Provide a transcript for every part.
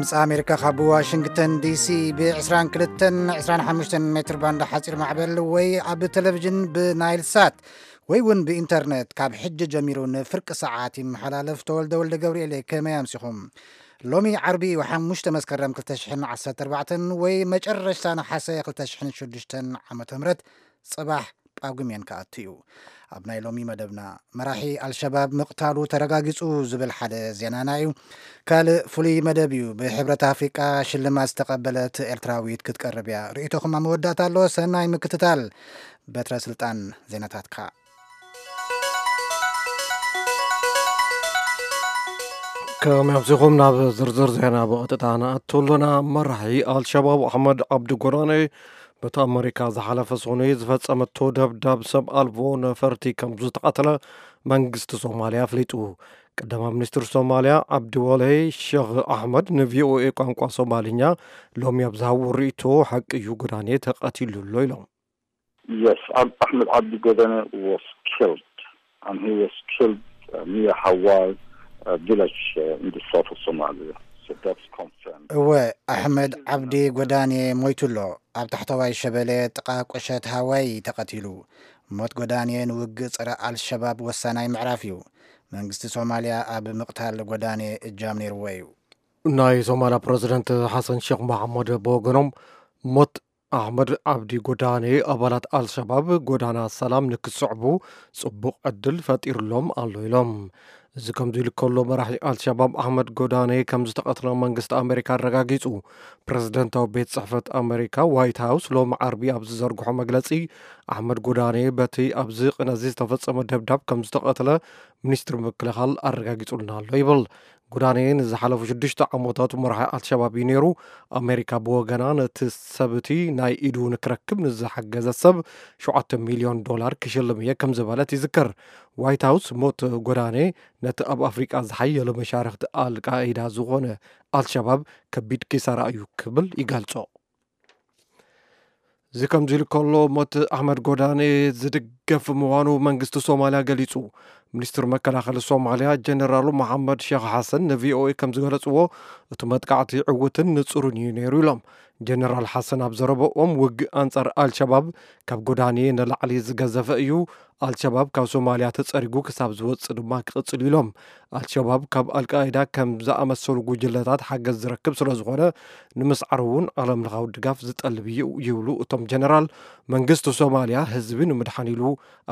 ድምፂ ኣሜሪካ ካብ ዋሽንግተን ዲሲ ብ22 25 ሜትር ባንድ ሓፂር ማዕበል ወይ ኣብ ቴሌቪዥን ብናይል ሳት ወይ እውን ብኢንተርኔት ካብ ሕጂ ጀሚሩ ንፍርቂ ሰዓት ይመሓላለፍ። ተወልደ ወልደ ገብርኤል እየ። ከመይ ኣምሲኹም? ሎሚ ዓርቢ እዩ፣ ሓሙሽተ መስከረም ክልተ ሽሕን ዓሰርተ ኣርባዕተን ወይ መጨረሽታ ነሓሰ ክልተ ሽሕን ሽዱሽተን ዓመተ ምህረት። ጽባሕ ጳጉሜን ክኣቱ እዩ። ኣብ ናይ ሎሚ መደብና፣ መራሒ ኣልሸባብ ምቕታሉ ተረጋጊጹ ዝብል ሓደ ዜናና እዩ። ካልእ ፍሉይ መደብ እዩ። ብሕብረት ኣፍሪቃ ሽልማት ዝተቐበለት ኤርትራዊት ክትቀርብ እያ። ርእይቶኹም ኣብ መወዳእታ ኣሎ። ሰናይ ምክትታል። በትረ ስልጣን ዜናታትካ። ከመይ ኣምሲኹም? ናብ ዝርዝር ዜና ብቐጥታ ንኣቱ ኣሎና። መራሒ ኣልሸባብ ኣሕመድ ዓብዲ ጎዳነ በቲ ኣመሪካ ዝሓለፈ ሰኑይ ዝፈጸመቶ ደብዳብ ሰብ ኣልቦ ነፈርቲ ከም ዝተቐተለ መንግስቲ ሶማልያ ኣፍሊጡ። ቀዳማይ ሚኒስትር ሶማልያ ዓብዲ ወሌ ሸኽ ኣሕመድ ንቪኦኤ ቋንቋ ሶማልኛ ሎሚ ኣብ ዝሃብዎ ርእይቶ፣ ሓቂ እዩ፣ ጎዳኔ ተቐቲሉ ኣሎ ኢሎም። Yes, Ab- Ahmed Abdi Godane was killed, and he was killed uh, near Hawal uh, village uh, in the south of Somalia. So that's confirmed. እወ፣ ኣሕመድ ዓብዲ ጎዳኔ ሞይቱ ኣሎ። ኣብ ታሕተዋይ ሸበሌ ጥቓ ቁሸት ሃዋይ ተቐቲሉ። ሞት ጎዳኔ ንውግእ ጸረ ኣልሸባብ ወሳናይ ምዕራፍ እዩ። መንግስቲ ሶማልያ ኣብ ምቕታል ጎዳኔ እጃም ነይርዎ እዩ። ናይ ሶማልያ ፕረዚደንት ሓሰን ሼክ መሓመድ ብወገኖም፣ ሞት ኣሕመድ ዓብዲ ጎዳኔ ኣባላት ኣልሸባብ ጎዳና ሰላም ንክስዕቡ ጽቡቕ ዕድል ፈጢሩሎም ኣሎ ኢሎም። እዚ ከምዚ ኢሉ ከሎ፣ መራሒ ኣልሸባብ ኣሕመድ ጎዳኔ ከም ዝተቐትለ መንግስቲ ኣሜሪካ ኣረጋጊጹ። ፕረዚደንታዊ ቤት ጽሕፈት ኣሜሪካ ዋይት ሃውስ ሎሚ ዓርቢ ኣብ ዝዘርግሖ መግለጺ፣ ኣሕመድ ጎዳኔ በቲ ኣብዚ ቅነ እዚ ዝተፈጸመ ደብዳብ ከም ዝተቐትለ ሚኒስትሪ ምክልኻል ኣረጋጊጹልና ኣሎ ይብል። ጎዳኔ ንዝሓለፉ ሽዱሽተ ዓመታት መራሒ ኣልሸባብ እዩ ነይሩ። ኣሜሪካ ብወገና፣ ነቲ ሰብ እቲ ናይ ኢዱ ንክረክብ ንዝሓገዘ ሰብ ሸውዓተ ሚልዮን ዶላር ክሽልም እየ ከም ዝበለት ይዝከር። ዋይት ሃውስ ሞት ጎዳኔ ነቲ ኣብ ኣፍሪቃ ዝሓየለ መሻርኽቲ ኣልቃኢዳ ዝኾነ ኣልሸባብ ከቢድ ኪሳራ እዩ ክብል ይገልጾ። እዚ ከምዚ ኢሉ ከሎ፣ ሞት ኣሕመድ ጎዳኔ ዝድገፍ ምዃኑ መንግስቲ ሶማልያ ገሊጹ። ሚኒስትር መከላኸሊ ሶማልያ ጀነራል መሓመድ ሼክ ሓሰን ንቪኦኤ ከም ዝገለጽዎ፣ እቲ መጥቃዕቲ ዕዉትን ንጹርን እዩ ነይሩ ኢሎም። ጀነራል ሓሰን ኣብ ዘረበኦም፣ ውግእ ኣንጻር ኣልሸባብ ካብ ጎዳኔ ንላዕሊ ዝገዘፈ እዩ። ኣልሸባብ ካብ ሶማልያ ተጸሪጉ ክሳብ ዝወጽእ ድማ ክቕጽል ኢሎም። ኣልሸባብ ካብ ኣልቃይዳ ከም ዝኣመሰሉ ጉጅለታት ሓገዝ ዝረክብ ስለ ዝኾነ፣ ንምስዓሩ እውን ዓለምለኻዊ ድጋፍ ዝጠልብ እዩ ይብሉ እቶም ጀነራል። መንግስቲ ሶማልያ ህዝቢ ንምድሓን ኢሉ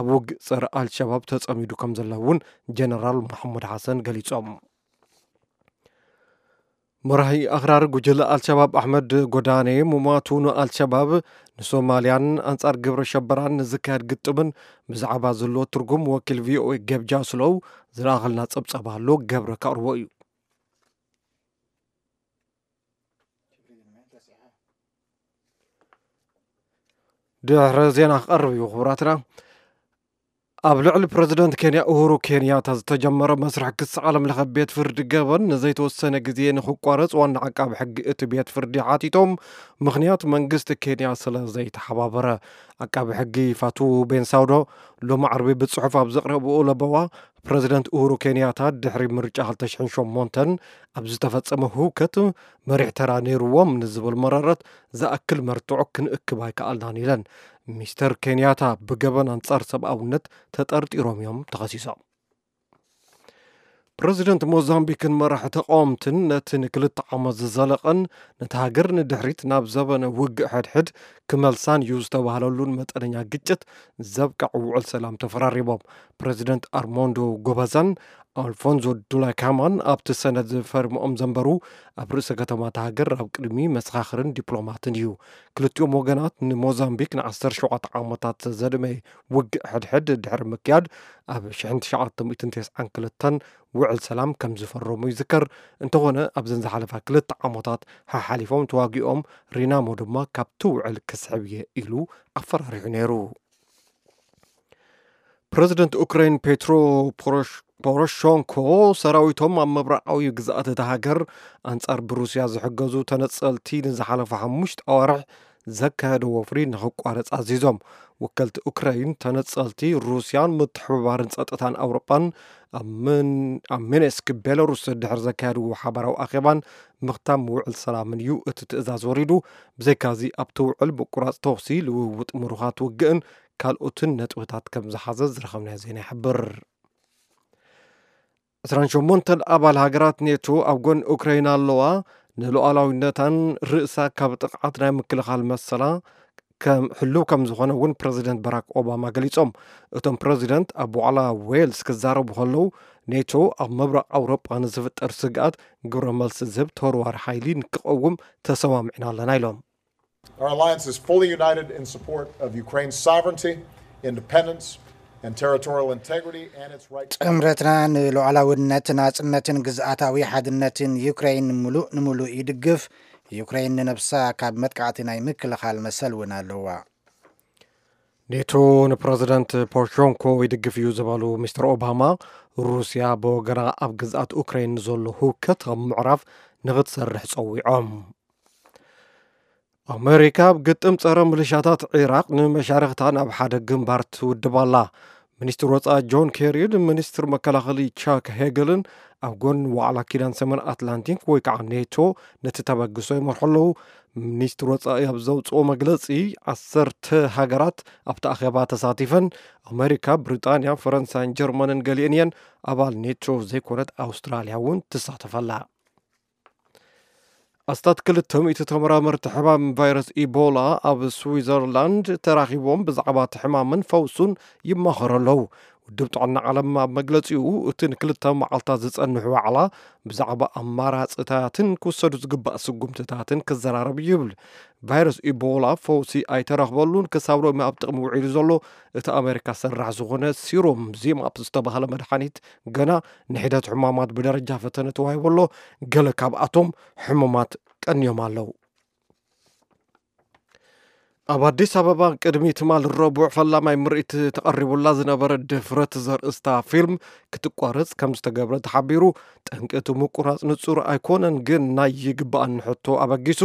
ኣብ ውግእ ጸረ ኣልሸባብ ተጸሚዱ ከም ዘሎ እውን ጀነራል መሓመድ ሓሰን ገሊጾም። መራሒ ኣኽራሪ ጉጅለ ኣልሸባብ ኣሕመድ ጎዳኔ ምሟቱ ንኣልሸባብ፣ ንሶማልያን ኣንጻር ግብረ ሸበራን ንዝካየድ ግጥምን ብዛዕባ ዘለዎ ትርጉም ወኪል ቪኦኤ ገብጃ ስለው ዝለኣኸልና ጸብጻብ ኣሎ፣ ገብረ ከቕርቦ እዩ። ድሕሪ ዜና ክቐርብ እዩ ክቡራትና። ኣብ ልዕሊ ፕረዚደንት ኬንያ ኡሁሩ ኬንያታ ዝተጀመረ መስርሕ ክሲ ዓለም ለኸ ቤት ፍርዲ ገበን ንዘይተወሰነ ግዜ ንክቋረጽ ዋና ዓቃቢ ሕጊ እቲ ቤት ፍርዲ ሓቲቶም፣ ምኽንያት መንግስቲ ኬንያ ስለ ዘይተሓባበረ። ዓቃቢ ሕጊ ፋቱ ቤንሳውዶ ሎሚ ዓርቢ ብጽሑፍ ኣብ ዘቕረብኦ ለበዋ፣ ፕረዚደንት ኡሁሩ ኬንያታ ድሕሪ ምርጫ ክልተ ሽሕን ሸሞንተን ኣብ ዝተፈጸመ ህውከት መሪሕ ተራ ነይርዎም ንዝብል መረረት ዝኣክል መርትዖ ክንእክብ ኣይከኣልናን ኢለን። ሚስተር ኬንያታ ብገበን ኣንጻር ሰብኣውነት ተጠርጢሮም እዮም ተኸሲሶም። ፕረዚደንት ሞዛምቢክን መራሒ ተቃወምትን ነቲ ንክልተ ዓመት ዝዘለቐን ነቲ ሃገር ንድሕሪት ናብ ዘበነ ውግእ ሕድሕድ ክመልሳን እዩ ዝተባህለሉን መጠነኛ ግጭት ዘብቅዕ ውዕል ሰላም ተፈራሪሞም። ፕረዚደንት ኣርሞንዶ ጎበዛን ኣልፎንዞ ዱላካማን ኣብቲ ሰነድ ፈሪሞም ዘንበሩ ኣብ ርእሰ ከተማ እታ ሃገር ኣብ ቅድሚ መሰኻኽርን ዲፕሎማትን እዩ። ክልቲኦም ወገናት ንሞዛምቢክ ንዓሰርተ ሸውዓተ ዓመታት ዘድመየ ውግእ ሕድሕድ ድሕሪ ምክያድ ኣብ ሽሕን ትሽዓተ ሚእትን ተስዓን ክልተን ውዕል ሰላም ከም ዝፈረሙ ይዝከር። እንተኾነ ኣብዘን ዝሓለፋ ክልተ ዓመታት ሓሓሊፎም ተዋጊኦም፣ ሪናሞ ድማ ካብቲ ውዕል ክስሕብ እየ ኢሉ ኣፈራሪሑ ነይሩ። ፕረዚደንት ኡክራይን ፔትሮ ፖሮሽ- ፖሮሾንኮ ሰራዊቶም ኣብ ምብራቓዊ ግዝኣት እታ ሃገር ኣንጻር ብሩስያ ዝሕገዙ ተነጸልቲ ንዝሓለፈ ሓሙሽተ ኣዋርሕ ዘካየዶ ወፍሪ ንኽቋረጽ ኣዚዞም። ወከልቲ ኡክራይን፣ ተነጸልቲ ሩስያን ምትሕብባርን ጸጥታን ኣውሮጳን ኣብ ምን-፣ ኣብ ሚንስክ ቤላሩስ ድሕሪ ዘካየድዎ ሓባራዊ ኣኼባን ምኽታም ውዕል ሰላምን እዩ እቲ ትእዛዝ ወሪዱ። ብዘይካዚ ኣብቲ ውዕል ምቁራጽ ተኹሲ፣ ልውውጥ ምሩኻት ውግእን ካልኦትን ነጥብታት ከም ዝሓዘ ዝረኸብናዮ ዜና ይሕብር። ዕስራን ሸሞንተን ኣባል ሃገራት ኔቶ ኣብ ጎኒ ኡክራይና ኣለዋ። ንሉዓላዊነታን ርእሳ ካብ ጥቕዓት ናይ ምክልኻል መሰላ ከም ሕሉው ከም ዝኾነ እውን ፕረዚደንት ባራክ ኦባማ ገሊጾም። እቶም ፕረዚደንት ኣብ ዋዕላ ዌልስ ክዛረቡ ከለዉ፣ ኔቶ ኣብ ምብራቕ ኣውሮጳ ንዝፍጠር ስግኣት ግብረ መልሲ ዝህብ ተወርዋሪ ሓይሊ ንክቐውም ተሰማሚዕና ኣለና ኢሎም። Our alliance is fully united in support of Ukraine's sovereignty, independence, and territorial integrity, and its right to ጥምረትና ንሉዓላውነት፣ ናጽነትን ግዝኣታዊ ሓድነትን ዩክሬን ምሉእ ንምሉእ ይድግፍ። ዩክሬን ንነብሳ ካብ መጥቃዕቲ ናይ ምክልኻል መሰል እውን ኣለዋ። ኔቶ ንፕረዚደንት ፖሮሸንኮ ይድግፍ እዩ ዝበሉ ሚስተር ኦባማ፣ ሩስያ ብወገና ኣብ ግዝኣት ኡክራይን ንዘሎ ህውከት ኣብ ምዕራፍ ንኽትሰርሕ ጸዊዖም። ኣመሪካ ኣብ ግጥም ጸረ ምልሻታት ዒራቕ ንመሻርኽታ ናብ ሓደ ግንባር ትውድብ ኣላ። ሚኒስትር ወጻኢ ጆን ኬሪን ሚኒስትር መከላኸሊ ቻክ ሄገልን ኣብ ጎኒ ዋዕላ ኪዳን ሰሜን ኣትላንቲክ ወይ ከዓ ኔቶ ነቲ ተበግሶ ይመርሑ ኣለዉ። ሚኒስትር ወጻኢ ኣብ ዘውፅኦ መግለፂ፣ ዓሰርተ ሃገራት ኣብቲ ኣኼባ ተሳቲፈን፣ ኣመሪካ፣ ብሪጣንያ፣ ፈረንሳይን ጀርመንን ገሊአን እየን። ኣባል ኔቶ ዘይኮነት ኣውስትራልያ እውን ትሳተፈላ። ኣስታት ክልተ ሚእቲ ተመራመርቲ ሕማም ቫይረስ ኢቦላ ኣብ ስዊዘርላንድ ተራኺቦም ብዛዕባ እቲ ሕማምን ፈውሱን ይማኸሩ ኣለዉ። ውድብ ጥዕና ዓለም ኣብ መግለጺኡ፣ እቲ ንክልተ መዓልታት ዝጸንሕ ዋዕላ ብዛዕባ ኣማራጽታትን ክውሰዱ ዝግባእ ስጉምትታትን ክዘራረብ እዩ ይብል። ቫይረስ ኢቦላ ፈውሲ ኣይተረኽበሉን፣ ክሳብ ሎሚ ኣብ ጥቕሚ ውዒሉ ዘሎ እቲ ኣሜሪካ ሰራሕ ዝኾነ ሲሮም ዚማፕ ዝተባህለ መድሓኒት ገና ንሒደት ሕማማት ብደረጃ ፈተነ ተዋሂቡ ኣሎ። ገለ ካብኣቶም ሕሙማት ቀንዮም ኣለዉ። ኣብ ኣዲስ ኣበባ ቅድሚ ትማል ረቡዕ ፈላማይ ምርኢት ተቐሪቡላ ዝነበረ ድፍረት ዘርእስታ ፊልም ክትቋረጽ ከም ዝተገብረ ተሓቢሩ። ጠንቂ እቲ ምቁራጽ ንጹር ኣይኮነን፣ ግን ናይ ይግባኣኒ ሕቶ ኣበጊሱ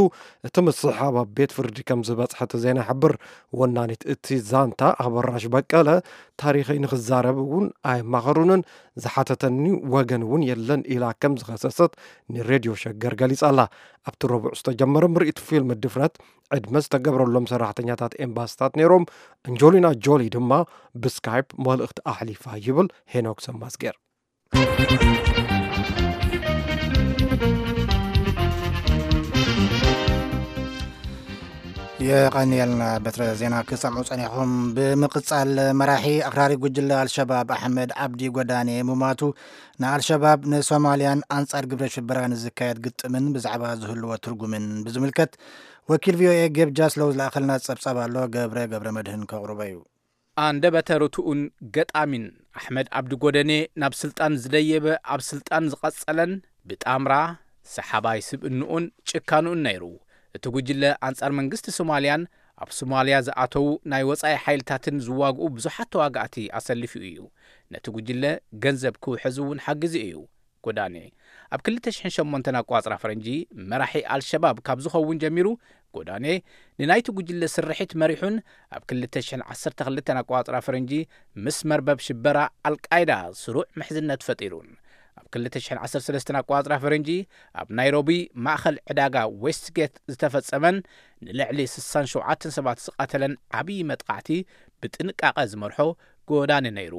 እቲ ምስሕሓብ ኣብ ቤት ፍርዲ ከም ዝበጽሐ እቲ ዜና ይሕብር። ወናኒት እቲ ዛንታ ኣበራሽ በቀለ፣ ታሪኸይ ንኽዛረብ እውን ኣየማኸሩንን፣ ዝሓተተኒ ወገን እውን የለን ኢላ ከም ዝኸሰሰት ንሬድዮ ሸገር ገሊጻ ኣላ። ኣብቲ ረቡዕ ዝተጀመረ ምርኢት ፊልም ድፍረት ዕድመ ዝተገብረሎም ሰራሕተኛታት ኤምባሲታት ነይሮም። ኣንጆሊና ጆሊ ድማ ብስካይፕ መልእኽቲ ኣሕሊፋ ይብል ሄኖክ ሰማዝጌር። የቐንየልና በትረ ዜና ክሰምዑ ጸኒኹም። ብምቕጻል፣ መራሒ ኣኽራሪ ጉጅለ ኣልሸባብ ኣሕመድ ዓብዲ ጎዳኔ ምማቱ ንኣልሸባብ፣ ንሶማልያን ኣንጻር ግብረ ሽበራ ንዝካየድ ግጥምን ብዛዕባ ዝህልዎ ትርጉምን ብዝምልከት ወኪል ቪኦኤ ጌብ ጃስሎው ዝለኣኸልና ጸብጻብ ኣሎ። ገብረ ገብረ መድህን ከቕርቦ እዩ። ኣንደበተ ርቱኡን ገጣሚን ኣሕመድ ዓብዲ ጎደኔ፣ ናብ ስልጣን ዝደየበ፣ ኣብ ስልጣን ዝቐጸለን ብጣምራ ሰሓባይ ስብእንኡን ጭካንኡን ነይሩ። እቲ ጉጅለ ኣንጻር መንግስቲ ሶማልያን ኣብ ሶማልያ ዝኣተዉ ናይ ወጻኢ ሓይልታትን ዝዋግኡ ብዙሓት ተዋጋእቲ ኣሰሊፉ እዩ። ነቲ ጉጅለ ገንዘብ ክውሕዝ እውን ሓጊዙ እዩ። ጎዳኔ ኣብ ክልተ ሽሕን ሸሞንተን ኣቋጽራ ፈረንጂ መራሒ ኣልሸባብ ካብ ዝኸውን ጀሚሩ፣ ጎዳኔ ንናይቲ ጉጅለ ስርሒት መሪሑን ኣብ ክልተ ሽሕን ዓሰርተ ክልተን ኣቋጽራ ፈረንጂ ምስ መርበብ ሽበራ ኣልቃይዳ ስሩዕ ምሕዝነት ፈጢሩን። ኣብ ክልተ ሽሕን ዓሰርተ ሰለስተን ኣቋጽራ ፈረንጂ ኣብ ናይሮቢ ማእኸል ዕዳጋ ዌስትጌት ዝተፈጸመን ንልዕሊ ስሳን ሸውዓተን ሰባት ዝቐተለን ዓብዪ መጥቃዕቲ ብጥንቃቐ ዝመርሖ ጎዳኒ ነይሩ።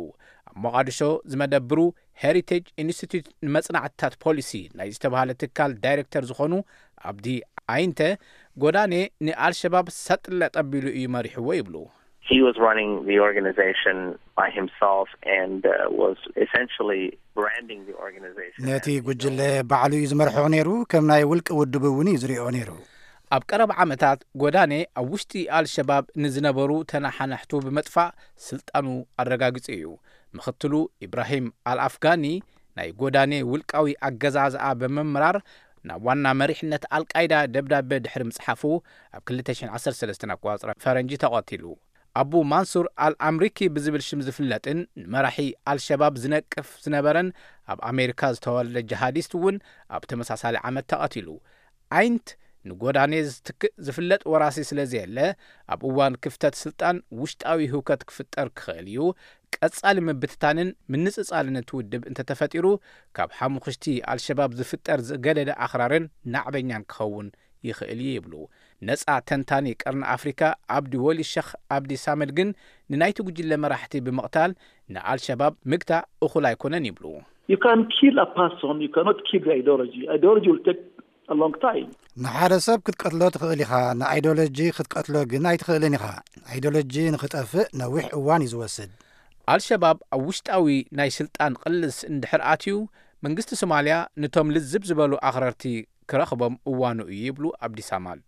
ኣብ ሞቓዲሾ ዝመደብሩ ሄሪቴጅ ኢንስቲትዩት ንመጽናዕትታት ፖሊሲ ናይ ዝተባህለ ትካል ዳይሬክተር ዝኾኑ ኣብዲ ኣይንተ፣ ጎዳኔ ንኣልሸባብ ሰጥ ለጥ ኣቢሉ እዩ መሪሕዎ ይብሉ። He was running the organization by himself and, uh, was essentially branding the organization ነቲ as his ጉጅለ own. ባዕሉ እዩ ዝመርሖ ነይሩ፣ ከም ናይ ውልቂ ውድብ እውን እዩ ዝሪኦ ነይሩ። ኣብ ቀረባ ዓመታት ጎዳኔ ኣብ ውሽጢ ኣልሸባብ ንዝነበሩ ተነሓናሕቱ ብምጥፋእ ስልጣኑ ኣረጋጊጹ እዩ። ምኽትሉ ኢብራሂም ኣልኣፍጋኒ ናይ ጎዳኔ ውልቃዊ ኣገዛዝኣ ብምምራር ናብ ዋና መሪሕነት ኣልቃይዳ ደብዳበ ድሕሪ ምጽሓፉ ኣብ ክልተ ሽሕን ዓሰርተ ሰለስተን ኣቋጽራ ፈረንጂ ተቐቲሉ። ኣቡ ማንሱር ኣልኣምሪኪ ብዝብል ሽም ዝፍለጥን ንመራሒ ኣልሸባብ ዝነቅፍ ዝነበረን ኣብ ኣሜሪካ ዝተወልደ ጂሃዲስት እውን ኣብ ተመሳሳሊ ዓመት ተቐቲሉ። ኣይንት ንጎዳኔ ዝትክእ ዝፍለጥ ወራሲ ስለ ዘየለ፣ ኣብ እዋን ክፍተት ስልጣን ውሽጣዊ ህውከት ክፍጠር ክኽእል እዩ። ቀጻሊ ምብትታንን ምንጽጻልን እቲ ውድብ እንተተፈጢሩ፣ ካብ ሓሙኽሽቲ ኣልሸባብ ዝፍጠር ዝገደደ ኣኽራርን ናዕበኛን ክኸውን ይኽእል እዩ ይብሉ። ነጻ ተንታኒ ቀርኒ ኣፍሪካ ኣብዲ ወሊ ሸኽ ኣብዲ ሳመድ ግን፣ ንናይቲ ጉጅለ መራሕቲ ብምቕታል ንኣልሸባብ ምግታ እኹል ኣይኮነን ይብሉ። You can kill a person, you cannot kill the ideology. Ideology will take a long time. ንሓደ ሰብ ክትቀትሎ ትኽእል ኢኻ፣ ንኣይዲዮሎጂ ክትቀትሎ ግን ኣይትኽእልን ኢኻ። ኣይዲዮሎጂ ንኽጠፍእ ነዊሕ እዋን እዩ ዝወስድ። ኣልሸባብ ኣብ ውሽጣዊ ናይ ስልጣን ቅልስ እንድሕር ኣትዩ፣ መንግስቲ ሶማልያ ነቶም ልዝብ ዝበሉ ኣኽረርቲ ክረኽቦም እዋኑ እዩ ይብሉ ኣብዲ ሳማል።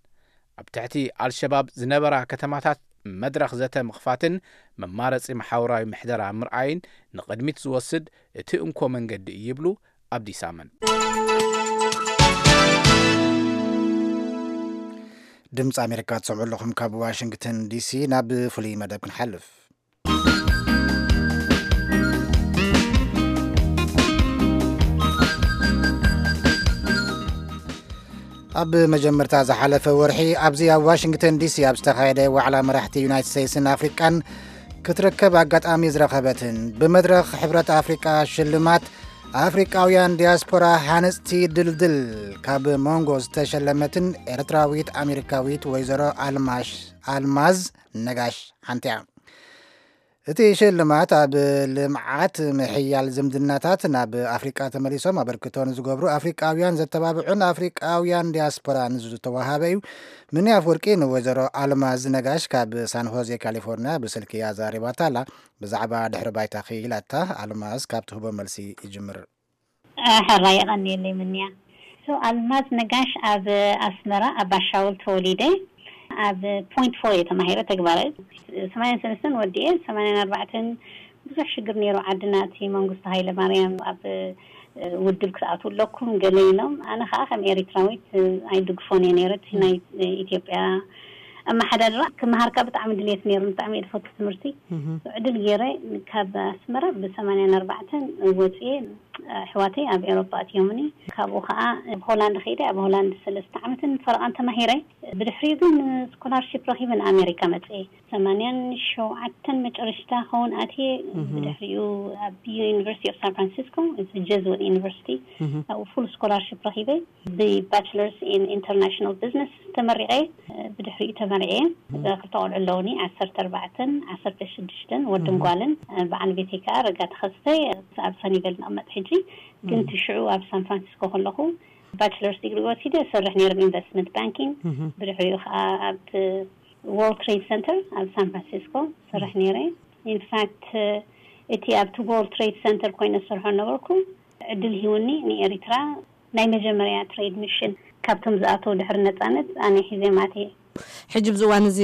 ኣብ ትሕቲ ኣልሸባብ ዝነበራ ከተማታት መድረኽ ዘተ ምኽፋትን መማረፂ መሓውራዊ ምሕደራ ምርኣይን ንቕድሚት ዝወስድ እቲ እንኮ መንገዲ እዩ ይብሉ ኣብዲ ሳመን። ድምፂ ኣሜሪካ ትሰምዑ ኣለኹም ካብ ዋሽንግተን ዲሲ። ናብ ፍሉይ መደብ ክንሓልፍ። ኣብ መጀመርታ ዝሓለፈ ወርሒ ኣብዚ ኣብ ዋሽንግተን ዲሲ ኣብ ዝተኻየደ ዋዕላ መራሕቲ ዩናይትድ ስቴትስን ኣፍሪቃን ክትርከብ ኣጋጣሚ ዝረኸበትን ብመድረኽ ሕብረት ኣፍሪቃ ሽልማት ኣፍሪቃውያን ዲያስፖራ ሃነፅቲ ድልድል ካብ መንጎ ዝተሸለመትን ኤርትራዊት ኣሜሪካዊት ወይዘሮ ኣልማሽ ኣልማዝ ነጋሽ ሓንቲ እያ። እቲ ሽልማት ኣብ ልምዓት ምሕያል ዝምድናታት ናብ ኣፍሪቃ ተመሊሶም ኣበርክቶ ንዝገብሩ ኣፍሪቃውያን ዘተባብዑን ኣፍሪቃውያን ዲያስፖራ ንዝተዋሃበ እዩ። ምኒ ኣፍወርቂ ንወይዘሮ ኣልማዝ ነጋሽ ካብ ሳን ሆዜ ካሊፎርኒያ ብስልኪ ኣዛሪባታ ኣላ። ብዛዕባ ድሕሪ ባይታ ክኢላታ ኣልማዝ ካብ ትህቦ መልሲ ይጅምር። ሕራይ የቐንየለይ ምንያ። So ኣልማዝ ነጋሽ ኣብ ኣስመራ ኣብ ባሻውል ተወሊደ። ኣብ ፖይንት ፎር እየ ተማሂረ ተግባረ። ሰማንያን ሰለስተን ወዲኤ ሰማንያን ኣርባዕተን ብዙሕ ሽግር ነይሩ ዓድና። እቲ መንግስቱ ሃይለ ማርያም ኣብ ውድብ ክትኣትዉ ኣለኩም ገለ ኢሎም። ኣነ ከዓ ከም ኤሪትራዊት ኣይድግፎን እየ ነይረ እቲ ናይ ኢትዮጵያ ኣመሓዳድራ። ክመሃርካ ብጣዕሚ ድሌት ነይሩ። ብጣዕሚ እየ ዝፈቱ ትምህርቲ። ዕድል ገይረ ካብ ኣስመራ ብሰማንያን ኣርባዕተን ወፅየ። ኣሕዋተይ ኣብ ኤሮፓ ኣትዮምኒ። ካብኡ ከዓ ሆላንድ ከይደ ኣብ ሆላንድ ሰለስተ ዓመትን ፈረቓን ተማሂረ። ብድሕሪኡ ግን ስኮላርሺፕ ረኪበ ንኣሜሪካ መፅየ። ሰማንያን ሸውዓተን መጨረሽታ ከውን ኣትየ። ብድሕሪኡ ኣብ ዩኒቨርሲቲ ኦፍ ሳን ፍራንሲስኮ ጀዝወት ዩኒቨርሲቲ ኣብኡ ፉል ስኮላርሺፕ ረኪበ። ብባችለርስ ኢን ኢንተርናሽናል ቢዝነስ ተመሪቐ። ብድሕሪኡ ተመርዕየ። ክልተ ቆልዑ ኣለውኒ፣ ዓሰርተ ኣርባዕተን ዓሰርተ ሽዱሽተን፣ ወድን ጓልን። በዓል ቤተይ ከዓ ረጋ ተኸስተ። ኣብ ሰኒቨል ንቕመጥ ሕጂ፣ ግን ትሽዑ ኣብ ሳን ፍራንሲስኮ ከለኹ ባችለርስ ዲግሪ ወሲደ እሰርሕ ነይረ ኢንቨስትመንት ባንኪንግ። ብድሕሪኡ ከዓ ኣብ ወርልድ ትሬድ ሰንተር ኣብ ሳን ፍራንሲስኮ ሰርሕ ነይረ። ኢንፋክት እቲ ኣብቲ ወርልድ ትሬድ ሰንተር ኮይነ ዝሰርሖ ነበርኩ። ዕድል ሂውኒ ንኤሪትራ ናይ መጀመርያ ትሬድ ሚሽን ካብቶም ዝኣተው ድሕሪ ነፃነት ኣነ ሒዘ ማቴ። ሕጂ ብዚ እዋን እዚ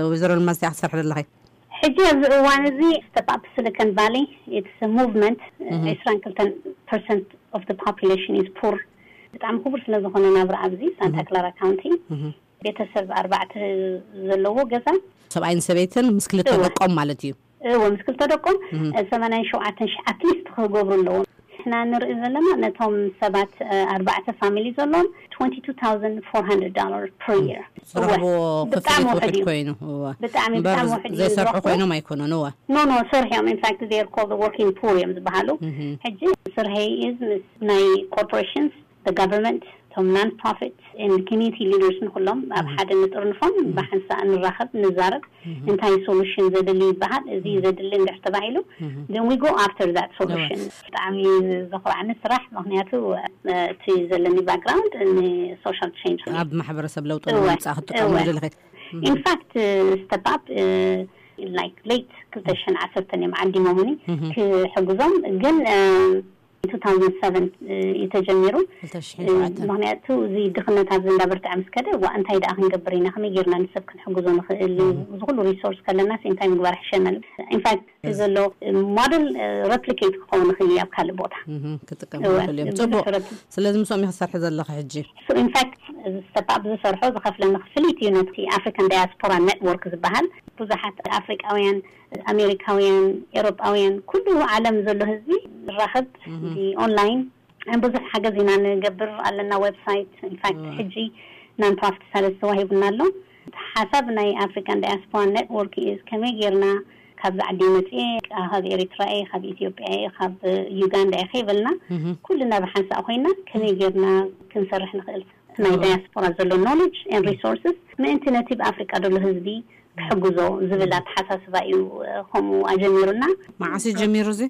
ወይዘሮ ልማዝ እንታይ ክትሰርሒ ዘለኺ? ሕጂ ኣብዚ እዋን እዚ ስቴፕ ኣፕ ሲሊኮን ቫሊ ኢትስ ሙቭመንት። ዕስራን ክልተን ፐርሰንት ኦፍ ፖፑሌሽን ኢዝ ፑር። ብጣዕሚ ክቡር ስለ ዝኾነ ናብራ ኣብዚ ሳንታ ክላራ ካውንቲ ቤተሰብ ኣርባዕተ ዘለዎ ገዛ። ሰብኣይን ሰበይትን ምስ ክልተ ደቆም ማለት እዩ። እወ ምስ ክልተ ደቆም ሰማንያን ሸውዓተን ሺሕ ኣትሊስት ክገብሩ ኣለዎም። ንሕና ንርኢ ዘለና ነቶም ሰባት ኣርባዕተ ፋሚሊ ዘለዎም twenty two thousand four hundred dollars per year። ዝረኽብዎ ክፍሊት ውሕድ ኮይኑ። ብጣዕሚ ብጣዕሚ ውሕድ እዩ ዘይሰርሑ ኮይኖም ኣይኮኑን። እወ no no ሰርሑ እዮም። In fact they are called the working poor እዮም ዝበሃሉ። ሕጂ ስርሐይ is ምስ ናይ corporations the government እቶም non profit and community leaders ንኩሎም ኣብ ሓደ ንጥርንፎም ብሓንሳእ ንራኸብ ንዛረብ። እንታይ ሶሉሽን ዘድሊ ይበሃል። እዚ ዘድሊ እንድሕር ተባሂሉ then we go after that solution። ብጣዕሚ ዘኹርዓኒ ስራሕ ምክንያቱ እቲ ዘለኒ ባክግራውንድ ንሶሻል ቼንጅ ኣብ ማሕበረሰብ ለውጢ ንምምፃእ ክትጥቀምሉ ዘለኺ። In fact step up like late ክልተ ሽሕን ዓሰርተን እዮም ዓዲሞምኒ ክሕግዞም ግን two thousand seven እዩ ተጀሚሩ። ምክንያቱ እዚ ድኽነት ኣብዚ እንዳበርትዐ ምስ ከደ ዋ እንታይ ደኣ ክንገብር ኢና፣ ከመይ ጌርና ንሰብ ክንሕግዞ ንኽእል፣ እዚ ኩሉ ሪሶርስ ከለናስ እንታይ ምግባር ይሕሸና። ኢንፋክት ዘሎ ሞደል ረፕሊኬት ክኸውን ይኽእል እዩ ኣብ ካልእ ቦታ ክጥቀም ይኽእል እዮም። ጽቡቕ። ስለዚ ምስኦም ኢኺ ትሰርሒ ዘለኺ ሕጂ? ኢንፋክት እዚ ስቴፕ ኣፕ ዝሰርሖ ዝኸፍለኒ ክፍሊት እዩ ነቲ ኣፍሪካን ዳያስፖራ ኔትወርክ ዝበሃል ብዙሓት ኣፍሪቃውያን ኣሜሪካውያን፣ ኤሮጳውያን፣ ኩሉ ዓለም ዘሎ ህዝቢ ንራኸብ ብኦንላይን ብዙሕ ሓገዝ ኢና ንገብር ኣለና። ዌብሳይት ኢንፋክት ሕጂ Non-profit status ተዋሂቡና ኣሎ። ሓሳብ ናይ African Diaspora Network is ከመይ ጌርና ካብዚ ዓዲ መፅኤ፣ ካብ ኤሪትራ እየ፣ ካብ ኢትዮጵያ እየ፣ ካብ ዩጋንዳ እየ ከይበልና፣ ኩልና ብሓንሳእ ኮይና ከመይ ጌርና ክንሰርሕ ንኽእል፣ ናይ ዳያስፖራ ዘሎ knowledge and resources ምእንቲ ነቲ ብኣፍሪቃ ዘሎ ህዝቢ ክሕግዞ ዝብል ኣተሓሳስባ እዩ። ከምኡ ኣጀሚሩና። መዓስ እዩ ጀሚሩ እዚ?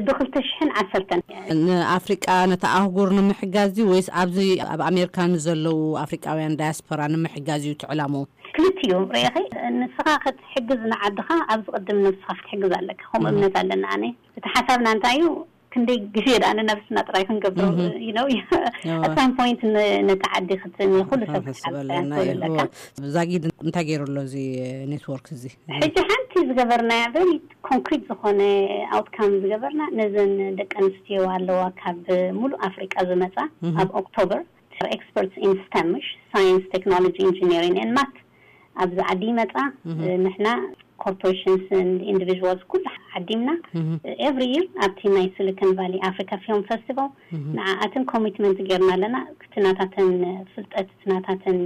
ብክልተ ሽሕን ዓሰርተን። ንኣፍሪቃ፣ ነታ ኣህጉር ንምሕጋዝ ድዩ ወይስ ኣብዚ ኣብ ኣሜሪካ ንዘለዉ ኣፍሪቃውያን ዳያስፖራ ንምሕጋዝ እዩ ትዕላሙ? ክልቲኡ ርኢኺ፣ ንስኻ ክትሕግዝ ንዓድኻ ኣብ ዝቕድም ነብስኻ ክትሕግዝ ኣለካ። ከምኡ እምነት ኣለና። ኣነ እቲ ሓሳብና እንታይ እዩ፣ ክንደይ ግዜ ደኣ ንነብስና ጥራይ ክንገብሮ you know at some point ነቲ ዓዲ ክትኒ ኩሉ ሰብ ክትሓግዝ ኣለካ። ዛጊድ እንታይ ገይሩ ኣሎ እዚ ኔትወርክ እዚ? ሕጂ ሓንቲ ዝገበርናያ very concrete ዝኾነ outcome ዝገበርና፣ ነዘን ደቂ ኣንስትዮ ኣለዋ ካብ ሙሉእ ኣፍሪቃ ዝመጻ፣ ኣብ ኦክቶበር፣ experts in STEM፣ science, technology, engineering and math፣ ኣብዚ ዓዲ ይመጻ። ንሕና corporations and individuals ኩሉ ዓዲምና every year ኣብቲ ናይ Silicon Valley Africa Film Festival ንዓኣትን ኮሚትመንት ጌርና ኣለና። እቲ ናታተን ፍልጠት፣ እቲ ናታተን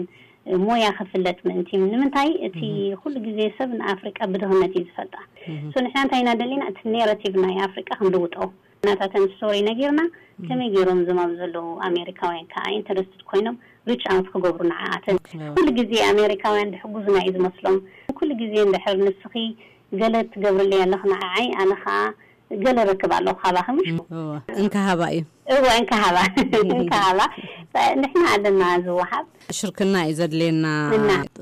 ሞያ ክፍለጥ ምእንቲ። ንምንታይ እቲ ኩሉ ግዜ ሰብ ንኣፍሪቃ ብድኽነት እዩ ዝፈልጣ። So ንሕና እንታይ ኢና ደሊና፣ እቲ ኔራቲቭ ናይ ኣፍሪቃ ክንልውጦ፣ ናታተን ስቶሪ ነጊርና ከመይ ገይሮም እዞም ኣብ ዘለዉ ኣሜሪካውያን ከዓ ኢንተረስትድ ኮይኖም ሪች ኣውት ክገብሩ ንዓኣተን። ኩሉ ግዜ ኣሜሪካውያን ድሕጉዙና እዩ ዝመስሎም። ኩሉ ግዜ እንድሕር ንስኺ ገለ ትገብርለይ ኣለኽ ንዓይ፣ ኣነ ከዓ ገለ ረክብ ኣለኹ ካባኺ፣ ምሽ? እንካሃባ እዩ። እወ፣ እንካሃባ። እንካሃባ። ንሕና ኣለና ዝወሃብ። ሽርክና እዩ ዘድልየና።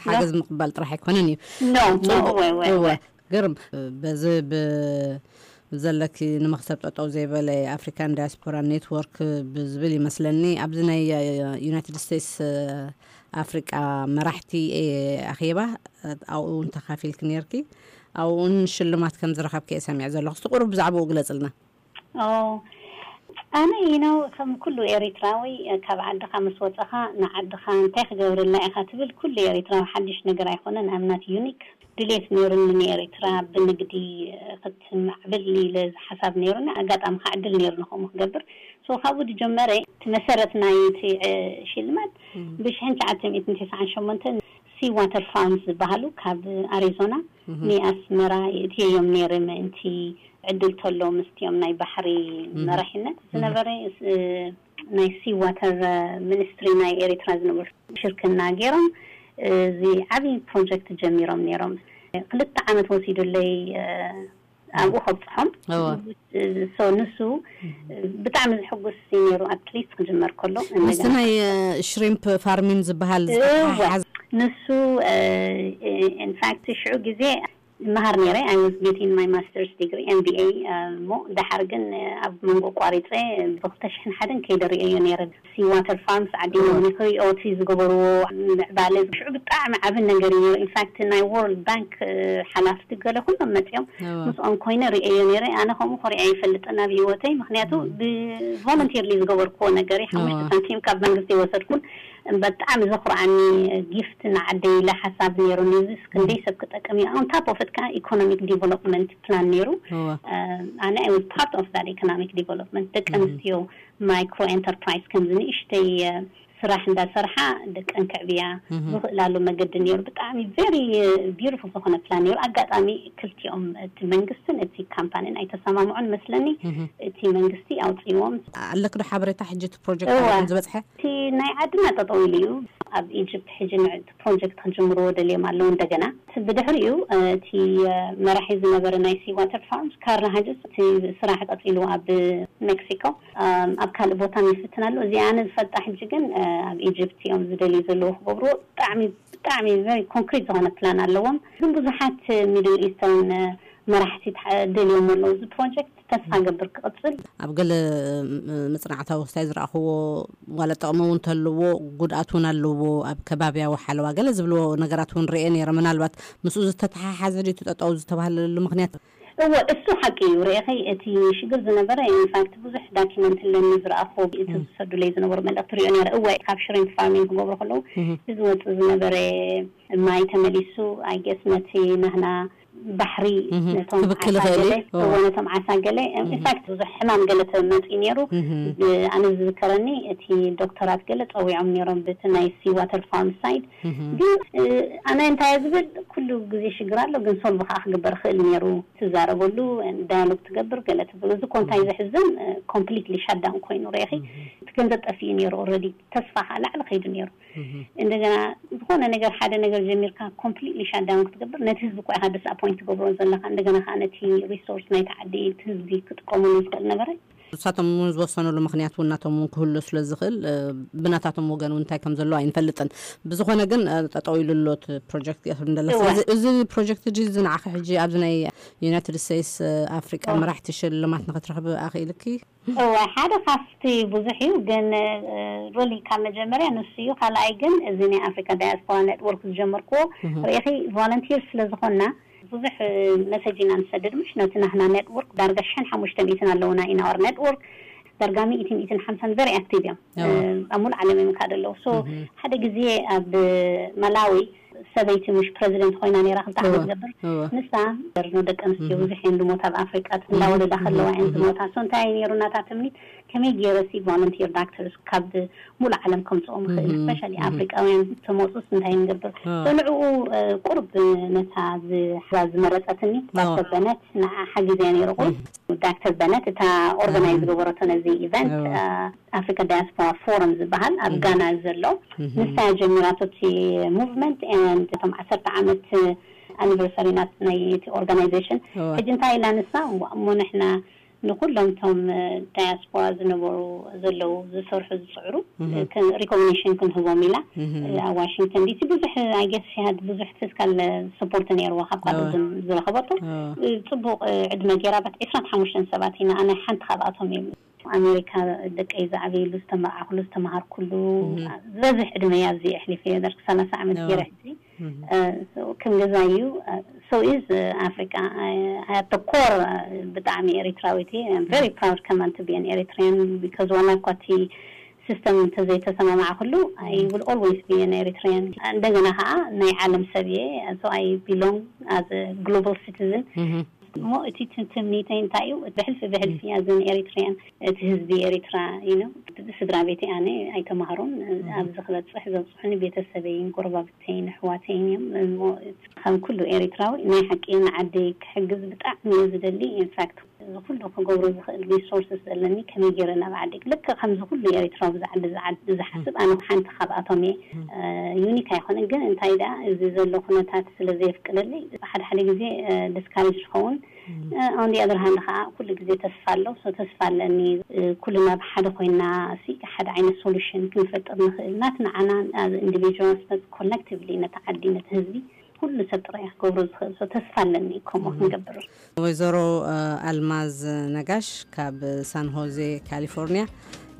ሓገዝ ምቕባል ጥራሕ ኣይኮነን እዩ። ኖ ኖ እወ እወ እወ። ግርም። በዚ ብ ዘለኪ ንመክሰብ ጠጠው ዘይበለ ኣፍሪካን ዳያስፖራ ኔትወርክ ብዝብል ይመስለኒ፣ ኣብዚ ናይ ዩናይትድ ስቴትስ ኣፍሪቃ መራሕቲ ኣኼባ ኣብኡ እውን ተካፊልኪ ነርኪ። ኣብኡን ሽልማት ከም ዝረኸብኪ እየ ሰሚዐ ዘለኹ። እስቲ ቁሩብ ብዛዕባኡ ግለጽልና። ኣነ you know ከም ኩሉ ኤሪትራዊ፣ ካብ ዓድኻ ምስ ወፀኻ ንዓድኻ እንታይ ክገብርላ ኢኻ ትብል፣ ኩሉ ኤሪትራዊ ሓድሽ ነገር ኣይኮነን። I'm not unique። ድሌት ነይሩኒ ንኤሪትራ ብንግዲ ክትማዕብል ኢለ ሓሳብ ነይሩኒ። ኣጋጣሚ ከዓ ዕድል ነይሩኒ ከምኡ ክገብር። So ካብኡ ዝጀመረ እቲ መሰረት ናይ እቲ ሽልማት ብሽሕን ትሽዓተ ሚእትን ትስዓን ሸሞንተን sea water farms ዝበሃሉ ካብ ኣሪዞና ንኣስመራ የእትየዮም ነይረ፣ ምእንቲ ዕድል ተሎ ምስቲኦም ናይ ባሕሪ መራሒነት ዝነበረ ናይ sea water ሚኒስትሪ ናይ ኤሪትራ ዝነበሩ ሽርክና ገይሮም እዚ ዓብዪ ፕሮጀክት ጀሚሮም ነይሮም። ክልተ ዓመት ወሲዱለይ ኣብኡ ከብፅሖም። So ንሱ ብጣዕሚ ዝሕጉስ እዩ ነይሩ፣ ኣትሊስት ክጅመር ከሎ። ምስቲ ናይ ሽሪምፕ ፋርሚን ዝበሃል እወ፣ ንሱ ኢንፋክት ሽዑ ግዜ መሃር ነይረ። I was getting my master's degree M B A እሞ ድሓር ግን ኣብ መንጎ ቋሪፀ ብክልተ ሽሕን ሓደን ከይደ ርእየዮ ነይረ። Sea water farms ዓዲሞም ክሪኦ እቲ ዝገበርዎ ምዕባለ ሽዑ ብጣዕሚ ዓቢ ነገር እዩ። ኢንፋክት ናይ ወርልድ ባንክ ሓላፍቲ ገለ ኩሎም መፂኦም ምስኦም ኮይነ ርእየዮ ነይረ። ኣነ ከምኡ ኮሪዐ ይፈልጥን ኣብ ህይወተይ፣ ምክንያቱ ብቮለንቲርሊ ዝገበርክዎ ነገር እዩ። ሓሙሽተ ሳንቲም ካብ መንግስቲ የወሰድኩን። ብጣዕሚ ዘኩርዓኒ ጊፍት ንዓደይ ኢለ ሓሳብ ነይሩኒ። እዚስ ክንደይ ሰብ ክጠቅም እዩ? On top of it ከዓ ኢኮኖሚክ ዲቨሎፕመንት ፕላን ነይሩ። ኣነ I was part of that economic development። ደቂ ኣንስትዮ ማይክሮ ኤንተርፕራይዝ ከምዚ ንእሽተይ ስራሕ እንዳሰርሓ ደቀን ክዕብያ ዝኽእላሉ መገዲ ነይሩ። ብጣዕሚ ቨሪ ቢዩቲፉል ዝኾነ ፕላን ነይሩ። ኣጋጣሚ ክልቲኦም እቲ መንግስትን እቲ ካምፓኒን ኣይተሰማምዑን መስለኒ። እቲ መንግስቲ ኣውፅዎም። ኣለክ ዶ ሓበሬታ ሕጂ እቲ ፕሮጀክት ዝበፅሐ? እቲ ናይ ዓድና ጠጠው ኢሉ እዩ። ኣብ ኢጅፕት ሕጂ ንዕቲ ፕሮጀክት ክጅምርዎ ደልዮም ኣለዉ። እንደገና ብድሕሪኡ እቲ መራሒ ዝነበረ ናይ sea water farms ካርል ሃጅስ እቲ ስራሕ ቀፂሉ ኣብ ሜክሲኮ፣ ኣብ ካልእ ቦታ ይፍትን ኣሎ። እዚ ኣነ ዝፈልጣ ሕጂ ግን ኣብ ኢጅፕት እዮም ዝደልዩ ዘለዉ ክገብርዎ። ብጣዕሚ ብጣዕሚ ቨሪ ኮንክሪት ዝኾነ ፕላን ኣለዎም። ግን ብዙሓት ሚድል ኢስተርን መራሕቲ ደልዮም ኣለዉ እዚ ፕሮጀክት። ተስፋ ገብር ክቕፅል። ኣብ ገለ መፅናዕታዊ ክስታይ ዝረኣኽዎ ዋላ ጥቕሚ እውን ተልዎ ጉድኣት እውን ኣለዎ። ኣብ ከባብያዊ ሓለዋ ገለ ዝብልዎ ነገራት እውን ርኤ ነይረ። ምናልባት ምስኡ ዝተተሓሓዘ ድዩ እቲ ጠጠው ዝተባህለሉ ምክንያት? እወ፣ እሱ ሓቂ እዩ። ርኢኺ፣ እቲ ሽግር ዝነበረ ኢንፋክት ብዙሕ ዳኪመንት ኣለኒ ዝረኣኽዎ፣ እቲ ዝሰዱለይ ዝነበሩ መልእኽቲ ሪኦ ነይረ። እወ፣ ካብ ሽሪምፕ ፋርሚንግ ክገብሩ ከለዉ እቲ ዝወፅእ ዝነበረ ማይ ተመሊሱ፣ I guess ነቲ ናህና ባሕሪ፣ ነቶም ክብክል ዓሳ ይኽእል ገለ እዩ። እወ። ነቶም ዓሳ ገለ ኢንፋክት ብዙሕ ሕማም ገለ ተመፅኡ ነይሩ። ኣነ ዝዝከረኒ እቲ ዶክተራት ገለ ፀዊዖም ነይሮም ብቲ ናይ ሲ ዋተር ፋርም ሳይድ። ግን ኣነ እንታይ ዝብል ኩሉ ግዜ ሽግር ኣሎ፣ ግን ሶልቭ ከዓ ክግበር ክእል ነይሩ። ትዛረበሉ፣ ዳያሎግ ትገብር፣ ገለ ትብል። እዚ ኮ እንታይ ዘሕዝን፣ ኮምፕሊትሊ ሻዳውን ኮይኑ ረኢኺ። እቲ ገንዘብ ጠፊኡ ነይሩ ኦልሬዲ፣ ተስፋ ከዓ ላዕሊ ከይዱ ነይሩ። እንደገና ዝኾነ ነገር፣ ሓደ ነገር ጀሚርካ ኮምፕሊትሊ ሻዳውን ክትገብር፣ ነቲ ህዝቢ እኮ ኢኻ ዲስኣፖይንት ትገብሮ ዘለኻ። እንደገና ከዓ ነቲ ሪሶርስ ናይቲ ዓዲ፣ እቲ ህዝቢ ክጥቀመሉ ዝኽእል ነበረ። ንሳቶም እውን ዝወሰኑሉ ምክንያት እውን ናቶም እውን ክህሉ ስለ ዝኽእል፣ ብናታቶም ወገን እውን እንታይ ከም ዘሎ ኣይንፈልጥን። ብዝኾነ ግን ጠጠው ኢሉ ኣሎ እቲ ፕሮጀክት እያ ትብል ዘላ። ስለዚ እዚ ፕሮጀክት እዚ ንዓኺ ሕጂ ኣብዚ ናይ ዩናይትድ ስቴትስ ኣፍሪቃ መራሕቲ ሽልማት ንክትረኽቢ ኣኽኢልኪ? እወ፣ ሓደ ካብቲ ብዙሕ እዩ፣ ግን ሪሊ ካብ መጀመርያ ንሱ እዩ። ካልኣይ ግን እዚ ናይ ኣፍሪካ ዳያስፖራ ኔትወርክ ዝጀመርክዎ ርኢኺ፣ ቮለንቲር ስለ ዝኾንና ብዙሕ መሰጅ ኢና ንሰድድ። ምሽ ነቲ ናህና ኔትወርክ ዳርጋ ሽሕን ሓሙሽተ ሚእትን ኣለውና ኢን ኣወር ኔትወርክ። ዳርጋ ሚእቲ፣ ሚእትን ሓምሳን ቨሪ ኣክቲቭ እዮም። ኣብ ሙሉ ዓለም እዮም ካደ ኣለዉ። ሶ ሓደ ግዜ ኣብ መላዊ ሰበይቲ ምሽ ፕረዚደንት ኮይና ነይራ፣ ክልተ ዓመት ትገብር። ንሳ ኖ፣ ደቂ ኣንስትዮ ብዙሕ እየን ዝሞታ ኣብ ኣፍሪቃ፣ እንዳወለዳ ከለዋ እየን ዝሞታ። ሶ እንታይ እዩ ነይሩ ናታ ትምኒት፣ ከመይ ገይረ ሲ ቮለንቲር ዳክተርስ ካብ ሙሉ ዓለም ከምፅኦም ይኽእል፣ ስፔሻሊ ኣፍሪቃውያን ተመፁስ እንታይ ንገብር። ሶ ንዕኡ ቁርብ ነታ ዝሓዛ ዝመረፀትኒ ዳክተር በነት ንዓ ሓጊዘያ ነይሩ። ቁሩብ ዳክተር በነት እታ ኦርጋናይዝ ዝገበረቶ ነዚ ኢቨንት፣ ኣፍሪካ ዳያስፖራ ፎረም ዝበሃል ኣብ ጋና ዘሎ፣ ንሳ ጀሚራቶ እቲ ሙቭመንት ኤንድ እቶም ዓሰርተ ዓመት ኣኒቨርሰሪ ናት ናይ እቲ ኦርጋናይዜሽን። ሕጂ እንታይ ኢላ ንሳ፣ እሞ ንሕና ንኩሎም እቶም ዳያስፖራ ዝነበሩ፣ ዘለዉ፣ ዝሰርሑ ዝፅዕሩ ሪኮግኒሽን ክንህቦም ኢላ። ኣብ ዋሽንግተን ዲሲ ብዙሕ፣ ኣይ ጌስ፣ ሺ ሃድ ብዙሕ ፊስካል ሰፖርት ነይርዋ ካብ ካልእ ዝረኸበቶ። ፅቡቅ ዕድመ ገይራ ባት ዕስራን ሓሙሽተን ሰባት ኢና፣ ኣነ ሓንቲ ካብኣቶም እየ። ኣሜሪካ ደቀይ ዝዓበየሉ፣ ዝተመርዓኹሉ፣ ዝተምሃርኩሉ፣ ዝበዝሕ ዕድመይ ኣብዚ ኣሕሊፈ እየ። ዳርክ ሰላሳ ዓመት ገይረ ሕጂ ከም ገዛ እዩ። So is ኣፍሪካ ኣት ኮር ብጣዕሚ ኤሪትራዊት እየ። I'm very proud ከማን to be an Eritrean because ዋላ እኳ እቲ ሲስተም እንተዘይተሰማማዕኩሉ I will always be an Eritrean። እንደገና ከዓ ናይ ዓለም ሰብ እየ። So I belong as a global citizen። እሞ እቲ ትምኒተይ እንታይ እዩ? ብሕልፊ ብሕልፊ ኣዘን ኤሪትሪያን እቲ ህዝቢ ኤሪትራ ኢኖ ስድራ ቤተይ ኣነ ኣይተማሃሩን ኣብዚ ክበፅሕ ዘብፅሑኒ ቤተሰበይን ጎረባብተይን ኣሕዋተይን እዮም። እሞ ከም ኩሉ ኤሪትራዊ ናይ ሓቂ ንዓደይ ክሕግዝ ብጣዕሚ እየ ዝደሊ። ኢንፋክት እዚ ኩሉ ክገብሮ ዝኽእል ሪሶርስስ ዘለኒ ከመይ ገይረ ናብ ዓደይ ልክዕ ከምዚ ኩሉ ኤሪትራዊ ብዛዕባ ዝሓስብ ኣነ ሓንቲ ካብኣቶም እየ። ዩኒክ ኣይኮነን ግን እንታይ ደኣ እዚ ዘሎ ኩነታት ስለ ዘየፍቅደለይ ሓደ ሓደ ግዜ ዲስካሬጅ ዝኸውን። ኦን ኣዘር ሃንድ ከዓ ኩሉ ግዜ ተስፋ ኣሎ። ሶ ተስፋ ኣለኒ ኩልና ብሓደ ኮይና ሲ ሓደ ዓይነት ሶሉሽን ክንፈጥር ንኽእል ናት ንዓና ኢንዲቪጁዋልስ ኮሌክቲቭሊ ነቲ ዓዲ ነቲ ህዝቢ ኩሉ ሰብ ጥራይ ክገብሮ ዝኽእል። ሶ ተስፋ ኣለኒ ከምኡ ክንገብር። ወይዘሮ ኣልማዝ ነጋሽ ካብ ሳን ሆዜ ካሊፎርኒያ፣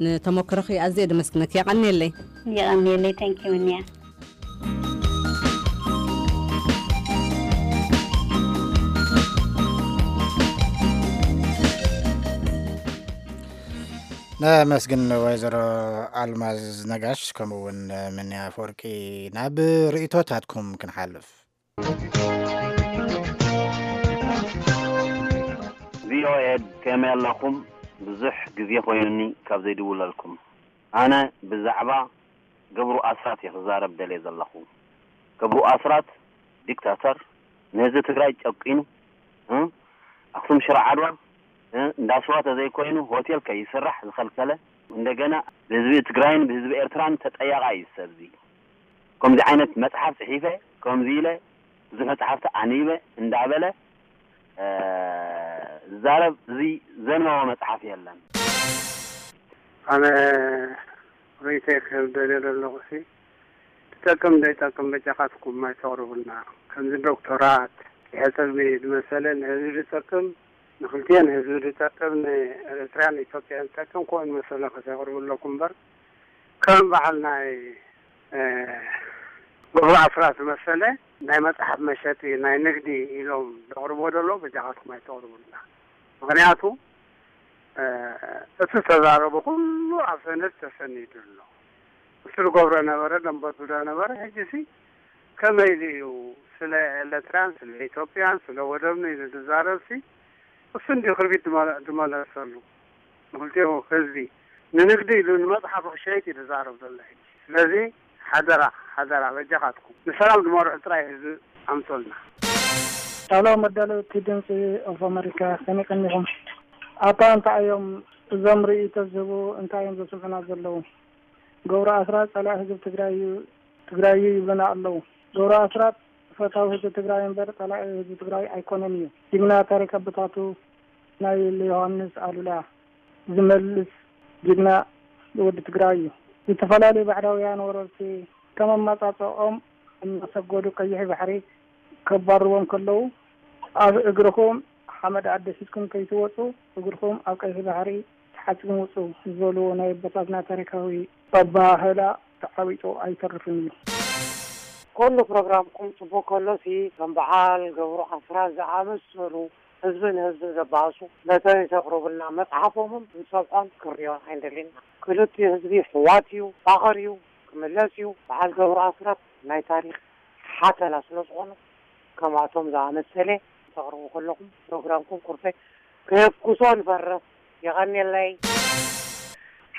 ንተመክሮኺ ኣዝየ ደመስግነኪ። የቐንየለይ። የቐንየለይ። ታንኪዩ እኒያ። ነመስግን ወይዘሮ ኣልማዝ ነጋሽ ከምኡ እውን ምንያ ኣፈወርቂ። ናብ ርእይቶታትኩም ክንሓልፍ። ቪኦኤ ከመይ ኣለኹም? ብዙሕ ግዜ ኮይኑኒ ካብ ዘይድውለልኩም። ኣነ ብዛዕባ ገብሩ ኣስራት እየ ክዛረብ ደልየ ዘለኹ። ገብሩ ኣስራት ዲክታተር፣ ንህዝቢ ትግራይ ጨቂኑ፣ እ፣ ኣኽሱም ሽረ ዓድዋ፣ እ፣ እንዳ ስዋ ተዘይኮይኑ ሆቴል ከይስራሕ ዝኸልከለ፣ እንደገና ብህዝቢ ትግራይን ብህዝቢ ኤርትራን ተጠያቓ እዩ ሰብዚ። ከምዚ ዓይነት መፅሓፍ ፅሒፈ፣ ከምዚ ኢለ ብዙሕ መፅሓፍቲ ኣንቢበ እንዳበለ ዝዛረብ እዚ ዘንበቦ መፅሓፍ የለን። ኣነ ርእይቶይ ክህብ ደልየ ዘለኹ ሲ ትጠቅም ዘይጠቅም በጃኻትኩም ኣይተቕርቡልና። ከምዚ ዶክተራት ይሕፀቢ ዝመሰለ ንህዝቢ ዝጠቅም ንክልቲኤን ህዝቢ ዝጠቅም ንኤርትራን ኢትዮጵያን ዝጠቅም ከምኡ ዝመሰለ ከተቕርቡ ኣለኩም እምበር ከም በዓል ናይ ገብሩ ኣስራት ዝመሰለ ናይ መፅሓፍ መሸጢ ናይ ንግዲ ኢሎም ዘቕርብዎ ዘለዉ በጃኻትኩም ኣይተቕርቡልና። ምኽንያቱ እቲ ዝተዛረቦ ኩሉ ኣብ ሰነድ ተሰኒዱ ኣሎ። እሱ ዝገብሮ ነበረ ደንበቱ ነበረ። ሕጂ ሲ ከመይ ኢሉ እዩ ስለ ኤርትራን ስለ ኢትዮጵያን ስለ ወደብን እዩ ዝዛረብሲ። እሱ እንዲ ክርቢት ድመለሰሉ ንክልቲኡ ህዝቢ ንንግዲ ኢሉ ንመፅሓፉ ክሸይጥ እዩ ዝዛረብ ዘሎ ሕጂ። ስለዚ ሓደራ ሓደራ በጃኻትኩም ንሰላም ዝመርሑ ጥራይ ህዝቢ ኣምፅልና። ሄሎ መዳለውቲ ድምፂ ኦፍ ኣመሪካ፣ ከመይ ቀኒኹም? ኣታ እንታይ እዮም እዞም ርእይቶ ዝህቡ? እንታይ እዮም ዘስምዑና ዘለዉ? ገብሩ ኣስራት ጸላኢ ህዝቢ ትግራይ እዩ፣ ትግራይ እዩ ይብሉና ኣለዉ። ገብሩ ኣስራት ፈታዊ ህዝቢ ትግራይ እምበር ጸላኢ ህዝቢ ትግራይ ኣይኮነን እዩ። ጅግና ታሪክ ኣቦታቱ ናይ ዮሃንስ ኣሉላ ዝመልስ ጅግና ወዲ ትግራይ እዩ። ዝተፈላለዩ ባዕዳውያን ወረርቲ ከም ኣመጻጽኦም እናሰገዱ ቀይሕ ባሕሪ ከባርዎም ከለዉ ኣብ እግርኹም ሓመድ ኣደፊስኩም ከይትወፁ እግርኹም ኣብ ቀይሕ ባሕሪ ተሓጺቡ ውጹ ዝበልዎ ናይ ኣቦታትና ታሪካዊ ኣበሃህላ ተዓዊጡ ኣይተርፍን እዩ። ኩሉ ፕሮግራምኩም ጽቡቅ ከሎ ሲ ከም በዓል ገብሩ ኣስራት ዝኣመሰሉ ህዝቢ ንህዝቢ ዘባእሱ መተን ተቅርቡልና መጽሓፎምን ክንሰምዖን ክንሪኦን ኣይንደልን ኢና። ክልቲኡ ህዝቢ ሕዋት እዩ፣ ፋቅር እዩ፣ ክምለስ እዩ። በዓል ገብሩ ኣስራት ናይ ታሪክ ሓተላ ስለ ዝኾኑ ከምኣቶም ዝኣመሰለ ተቅርቡ ከለኹም ፕሮግራምኩም ኩርፌ ከየፍኩሶ ንፈርሕ። የቐንየለይ።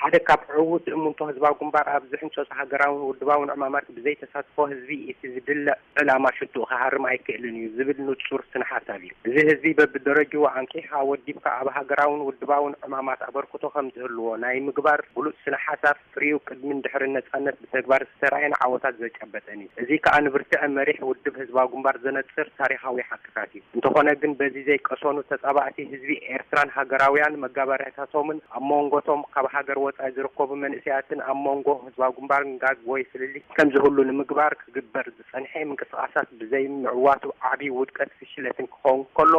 ሓደ ካብ ዕዉት እምንቶ ህዝባዊ ግንባር ኣብዚ ሕንጸጹ ሃገራውን ውድባውን ዕማማት ብዘይ ተሳትፎ ህዝቢ እቲ ዝድለ ዕላማ ሽትኡ ክሃርም ኣይክእልን እዩ ዝብል ንጹር ስነ ሓሳብ እዩ። እዚ ህዝቢ በብደረጅኡ ኣንቂሕኻ ወዲብካ ኣብ ሃገራውን ውድባውን ዕማማት ኣበርክቶ ከም ዝህልዎ ናይ ምግባር ብሉጽ ስነ ሓሳብ ፍሪኡ ቅድምን ድሕርን ነጻነት ብተግባር ዝተራእየን ዓወታት ዘጨበጠን እዩ። እዚ ከኣ ንብርትዐ መሪሕ ውድብ ህዝባዊ ግንባር ዘነጽር ታሪኻዊ ሓቅታት እዩ። እንተኾነ ግን በዚ ዘይቀሰኑ ተጻባእቲ ህዝቢ ኤርትራን ሃገራውያን መጋበርያታቶምን ኣብ መንጎቶም ካብ ሃገር ወጻኢ ዝርከቡ መንእሰያትን ኣብ መንጎ ህዝባዊ ግንባርን ጋግ ወይ ፍልልይ ከም ዝህሉ ንምግባር ክግበር ዝጸንሐ ምንቅስቃሳት ብዘይ ምዕዋቱ ዓቢ ውድቀት ፍሽለትን ክኸውን ከሎ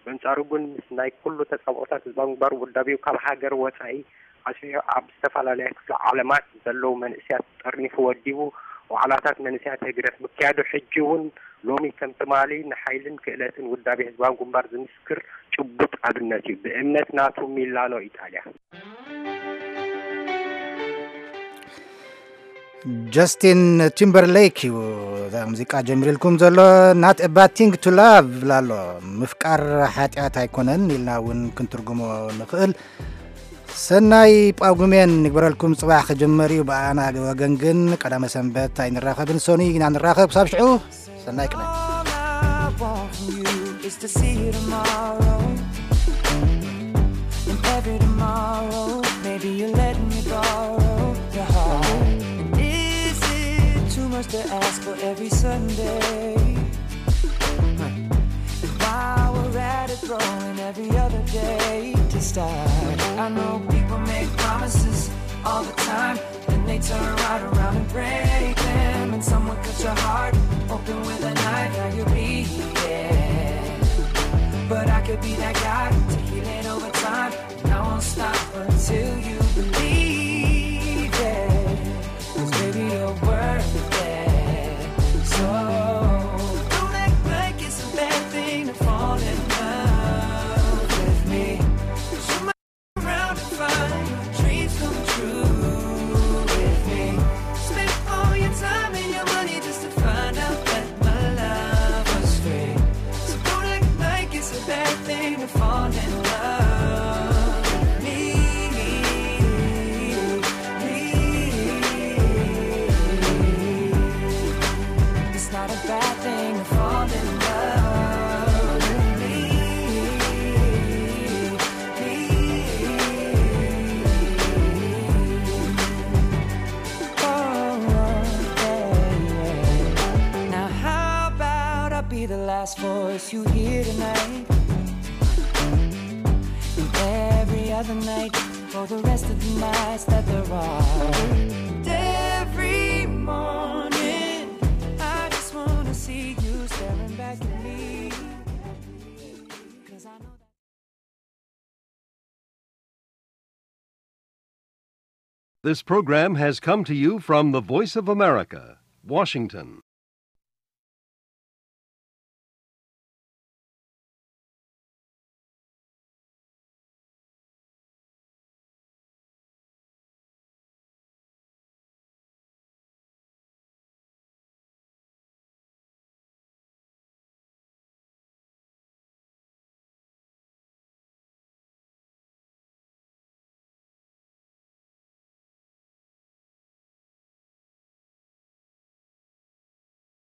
በንጻሩ ግን ምስ ናይ ኩሉ ተጻብኦታት ህዝባዊ ግንባር ውዳቤኡ ካብ ሃገር ወጻኢ ኣስፊሑ ኣብ ዝተፈላለያ ክፍለ ዓለማት ዘለዉ መንእሰያት ጠርኒፉ ወዲቡ ዋዕላታት መንእሰያት ህግደፍ ምክያዱ ሕጂ እውን ሎሚ ከም ትማሊ ንሓይልን ክእለትን ውዳቤ ህዝባዊ ግንባር ዝምስክር ጭቡጥ ኣብነት እዩ። ብእምነት ናቱ ሚላኖ ኢጣልያ። ጀስቲን ቲምበርሌክ እዩ እዛ ሙዚቃ ጀሚርልኩም ዘሎ። Not a bad thing to love ይብል ኣሎ። ምፍቃር ሓጢኣት ኣይኮነን ኢልና እውን ክንትርጉሞ ንኽእል። ሰናይ ጳጉሜን ንግበረልኩም። ጽባሕ ክጅመር እዩ። ብኣና ወገን ግን ቀዳመ ሰንበት ኣይንራኸብን። ሰኑይ ኢና ንራኸብ። ክሳብ ሽዑ ሰናይ ቅነ። Is to see you tomorrow. And every tomorrow, maybe you're letting me borrow your heart. And is it too much to ask for every Sunday? And while we're at it, throwing every other day to start. I know people make promises all the time, then they turn right around and break them. And someone cuts your heart open with a knife. Now you're bleeding, but I could be that guy to heal it over time. And I won't stop until you believe it. 'Cause baby, you're worth it. So don't act like it's a bad thing to fall in love with me. 'Cause you might turn around and find your dreams come true with me. Spend all your time and your money just to find out that my love was free. So don't act like it's a bad thing to fall in love with me. It's not a bad thing to fall in love with me. Now how about I be the last voice you hear tonight? And every other night for the rest of the nights that there are. And every morning I just wanna see you staring back at me. 'Cause I know that This program has come to you from the Voice of America, Washington.